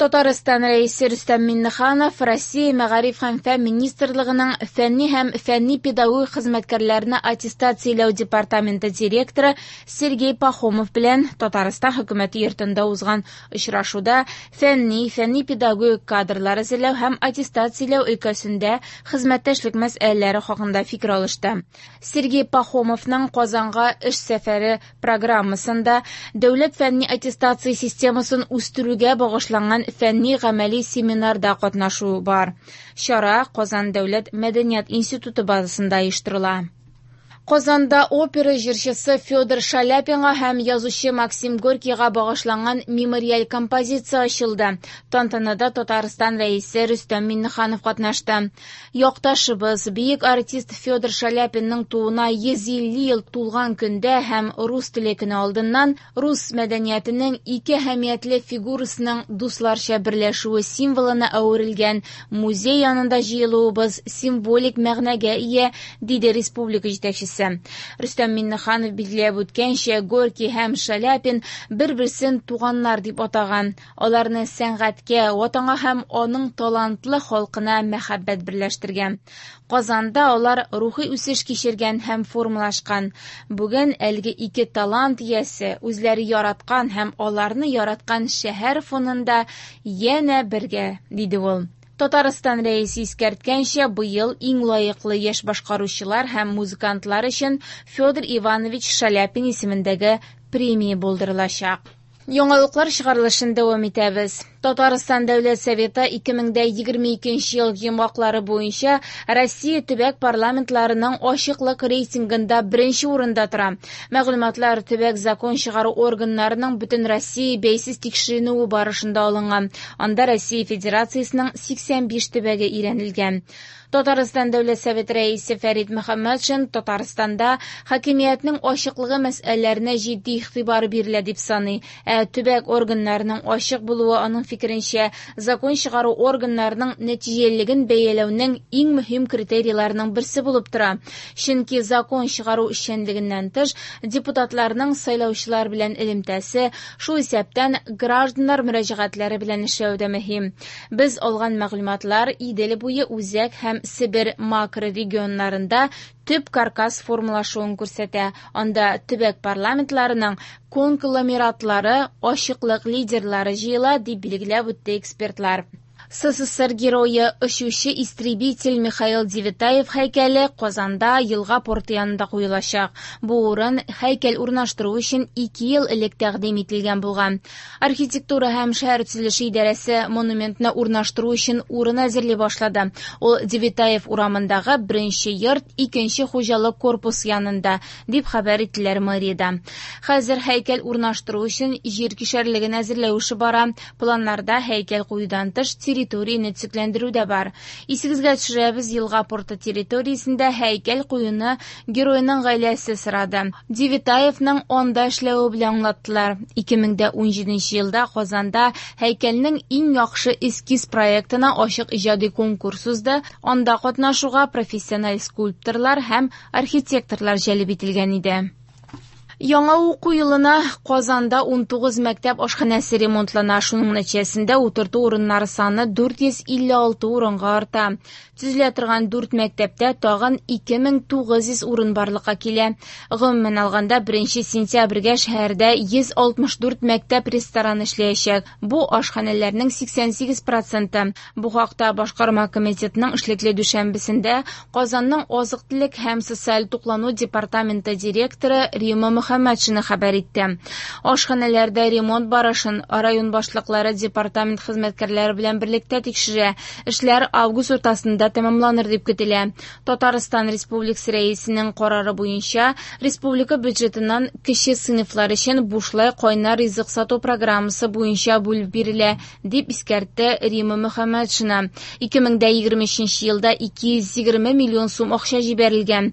Татарстан Рәисе Рөстәм Миңнеханов Россия Мәгариф һәм фән министрлыгының фәнни һәм фәнни-педагогик хезмәткәрләрне аттестацияләү департаменты директоры Сергей Пахомов белән Татарстан Хөкүмәте йортында узган очрашуда фәнни, фәнни-педагогик кадрлар әзерләү һәм аттестацияләү өлкәсендә хезмәттәшлек мәсьәләләре хакында фикер алышты. Сергей Пахомовның Казанга эш сәфәре программасында дәүләт фәнни аттестация системасын үстерүгә багышланган фәнни-гамәли семинарда катнашу бар. Чара Казан дәүләт мәдәният институты базасында оештырыла. Казанда опера җырчысы Федор Шаляпинга һәм язучы Максим Горькийга багышланган мемориаль композиция ачылды. Тантанада Татарстан Рәисе Рөстәм Миңнеханов катнашты. Якташыбыз, бөек артист Федор Шаляпинның тууына 150 ел тулган көндә һәм рус теле көне алдыннан рус мәдәниятенең ике әһәмиятле фигурасының дусларча берләшүе символына әверелгән музей янында җыелуыбыз символик мәгънәгә ия, диде республика җитәкчесе. Рөстәм Миңнеханов билгеләп үткәнчә, Горький һәм Шаляпин бер-берсен туганнар дип атаган. Аларны сәнгатькә, ватанга һәм аның талантлы халкына мәхәббәт берләштергән. Казанда алар рухи үсеш кичергән һәм формалашкан. Бүген әлеге ике талант иясе үзләре яраткан һәм аларны яраткан шәһәр фонында янә бергә, диде ул. Татарстан Рәисе искәрткәнчә, быел иң лаеклы яшь башкаручылар һәм музыкантлар өчен Федор Иванович Шаляпин исемендәге премия булдырылачак. Яңалыклар чыгарылышын дәвам итәбез. Татарстан Дәүләт Советы 2022 ел йомгаклары буенча Россия төбәк парламентларының ачыклык рейтингында беренче урында тора. Мәгълүматлар төбәк закон чыгару органнарының бөтен Россия бәйсез тикшеренүе барышында алынган. Анда Россия Федерациясенең 85 төбәге өйрәнелгән. Татарстан Дәүләт Советы рәисе Фәрит Мөхәммәтшин Татарстанда хакимиятнең ачыклыгы мәсьәләләренә җитди игътибар бирелә дип саный. Ә төбәк органнарының ачык булуы аның фикеренчә, закон чыгару органнарының нәтиҗәлелеген бәяләүнең иң мөһим критерийларының берсе булып тора. Чөнки закон чыгару эшчәнлегеннән тыш, депутатларның сайлаучылар белән элемтәсе, шул исәптән гражданнар мөрәҗәгатьләре белән эшләү дә мөһим. Без алган мәгълүматлар Идел буе үзәк һәм Себер макрорегионнарында төп каркас формалашуын күрсәтә. Анда төбәк парламентларының конгломератлары, ачыклык лидерлары җыела, дип билгеләп үтте экспертлар. СССР герое, очучы истребитель Михаил Девятаев һәйкәле Казанда елга порты янында куелачак. Бу урын һәйкәл урнаштыру өчен 2 ел элек тәкъдим ителгән булган. Архитектура һәм шәһәр төзелеше идарәсе монументны урнаштыру өчен урын әзерли башлады. Ул Девятаев урамындагы беренче йорт, икенче хуҗалык корпус янында, дип хәбәр иттеләр мэриядә. Хәзер һәйкәл урнаштыру өчен җир кишәрлеген әзерләү эше бара. Планнарда һәйкәл куюдан тыш территорияне төзекләндерү дә бар. Исегезгә төшерәбез, елга порты территориясендә һәйкәл куюны геройның гаиләсе сорады. Девятаевның анда эшләве белән аңлаттылар. 2017 елда Казанда һәйкәлнең иң яхшы эскиз проектына ачык иҗади конкурс узды. Анда катнашуга профессиональ скульпторлар һәм архитекторлар җәлеп ителгән иде. Яңа уку елына Казанда 19 мәктәп ашханәсе ремонтлана. Шуның нәтиҗәсендә утырту урыннары саны 456 урынга арта. Төзелә торган 4 мәктәптә тагын 2900 урын барлыкка килә. Гомумән алганда, 1 сентябрьгә шәһәрдә 164 мәктәп рестораны эшләячәк. Бу ашханәләрнең 88%. Бу хакта башкарма комитетның эшлекле дүшәмбесендә Казанның азык-төлек һәм социаль туклану департаменты директоры Рима Мөхәммәтшина хәбәр итте. Ашханәләрдә ремонт барышын район башлыклары департамент хезмәткәрләре белән берлектә тикшерә. Эшләр август уртасында тәмамланыр дип көтелә. Татарстан Республикасы Рәисенең карары буенча республика бюджетыннан кече сыйныфлар өчен бушлай кайнар ризык сату программасы буенча бүлеп бирелә, дип искәртте Рима Мөхәммәтшина. 2023 елда 220 миллион сум акча җибәрелгән.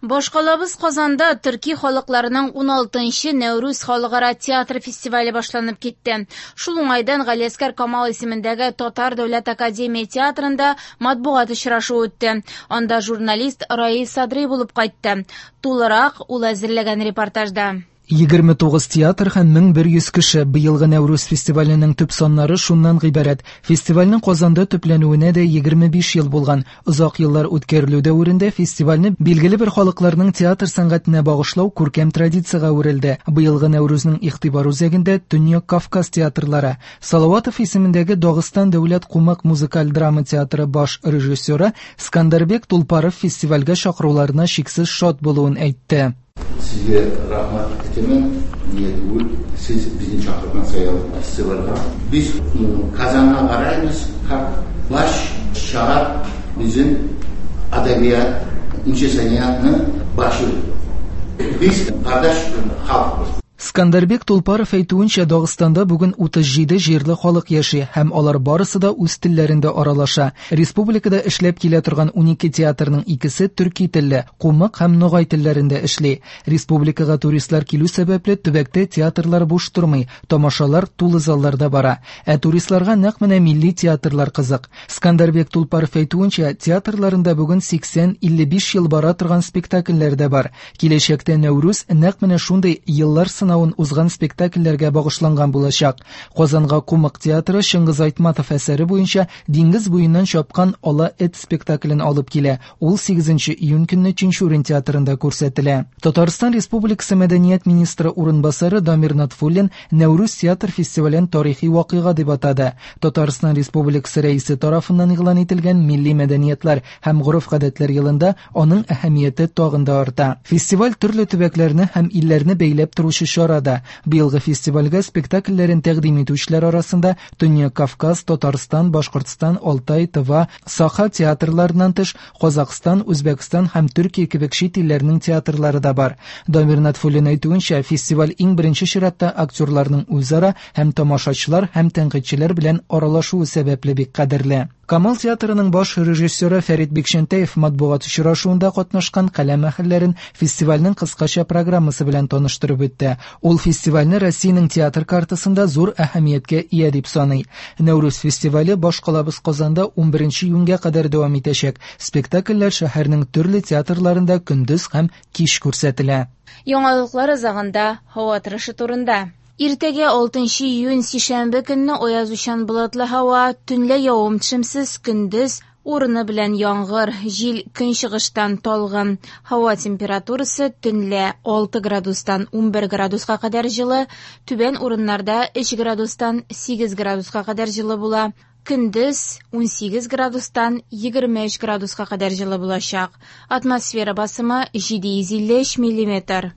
Башкалабыз Казанда төрки халыкларының 16-нчы Нәүрүз халыкара театр фестивале башланып китте. Шул уңайдан Галиәсгар Камал исемендәге Татар дәүләт академия театрында матбугат очрашуы үтте. Анда журналист Раил Садри булып кайтты. Тулырак ул әзерләгән репортажда. 29 театр һәм 1100 кеше. Быелгы Нәүрүз фестиваленең төп саннары шуннан гыйбарәт. Фестивальнең Казанда төпләнүенә дә 25 ел булган. Озак еллар үткәрелү дәверендә фестивальне билгеле бер халыкларның театр сәнгатенә багышлау күркәм традициягә әверелде. Быелгы Нәүрүзнең игътибар үзәгендә Төньяк Кавказ театрлары. Салаватов исемендәге Дагыстан дәүләт кумык музыкаль драма театры баш режиссеры Скандарбек Тулпаров фестивальгә чакыруларына чиксез шат булуын әйтте. Сезгә рәхмәт әйтәмен, нигә түгел, сез безне чакырган саен фестивальгә. Без Казанга карыйбыз, как баш шәһәр безнең әдәбият, инче сәнгатьнең башы. Без кардәш халыкбыз. Скандарбек Тулпаров әйтүенчә, Дагыстанда бүген 37 җирле халык яши һәм алар барысы да үз телләрендә аралаша. Республикада эшләп килә торган 12 театрның икесе төрки телле, кумык һәм ногай телләрендә эшли. Республикага туристлар килү сәбәпле төбәктә театрлар буш тормый, тамашалар тулы залларда бара. Ә туристларга нәкъ менә милли театрлар кызык. Скандарбек Тулпаров әйтүенчә, театрларында бүген 80-55 ел бара торган спектакльләр дә бар. Киләчәктә Нәүрүз нәкъ менә шундый еллар сынавын узган спектакльләргә багышланган булачак. Казанга Кумык театры Чыңгыз Айтматов әсәре буенча Диңгез буеннан чапкан ала эт спектаклен алып килә. Ул 8 июнь көнне Тинчурин театрында күрсәтелә. Татарстан Республикасы мәдәният министры урынбасары Дамир Натфуллин Нәүрүз театр фестивален тарихи вакыйга дип атады. Татарстан Республикасы рәисе тарафыннан игълан ителгән Милли мәдәниятләр һәм гореф-гадәтләр елында аның әһәмияте тагын да арта. Фестиваль төрле төбәкләрне һәм илләрне бәйләп торучы чара да. Быелгы фестивальгә спектакльләрен тәкъдим итүчеләр арасында Төньяк Кавказ, Татарстан, Башкортстан, Алтай, Тыва, Саха театрларыннан тыш Казакъстан, Үзбәкстан һәм Төркия кебек чит илләрнең театрлары да бар. Дамир Натфуллин әйтүенчә, фестиваль иң беренче чиратта актерларның үзара һәм тамашачылар һәм тәнкыйтьчеләр белән аралашуы сәбәпле бик кадерле. Камал театрының баш режиссеры Фәрит Бикчәнтәев матбугат очрашуында катнашкан каләм әһелләрен фестивальнең кыскача программасы белән таныштырып үтте. Ул фестивальне Россиянең театр картасында зур әһәмияткә ия дип саный. Нәүрүз фестивале башкалабыз Казанда 11 июньгә кадәр дәвам итәчәк. Спектакльләр шәһәрнең төрле театрларында көндез һәм кич күрсәтелә. Яңалыклар азагында һава торышы турында. Иртәгә 6 июнь сишәмбе көнне аязучан болытлы һава, төнлә явым-төшемсез, көндез урыны белән яңгыр, җил көнчыгыштан талгын. Һава температурасы төнлә 6 градустан 11 градуска кадәр җылы, түбән урыннарда 3 градустан 8 градуска кадәр җылы була. Көндез 18 градустан 23 градуска кадәр җылы булачак. Атмосфера басымы 753 миллиметр.